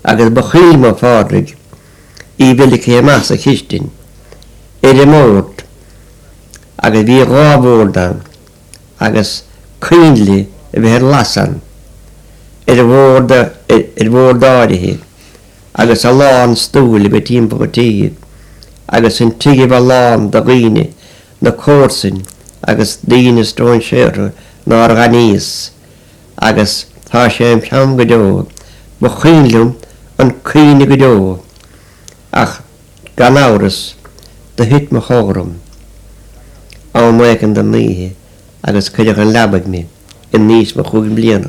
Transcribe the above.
Agus ba chuimhin liom, a Phádraig, í bheith ligthe amach sa chistin, ar an mbord, agus bhí dha bhord ann, agus coinnle a bheith ar lasadh ann, ar bhord, ar bhord áirithe, agus a lán stúil a bheith timpeall an tí, agus an tigh a bheith lán de dhaoine, na comharsain agus daoine stróinséartha nár aithníos, agus tá sé im cheann go deo, ba chuimhin liom an caoineadh go deo, ach gan amhras, do thit mo chodladh orm am éicint den oíche agus cuireadh 'on leabaidh mé in aois mo chúig mbliana.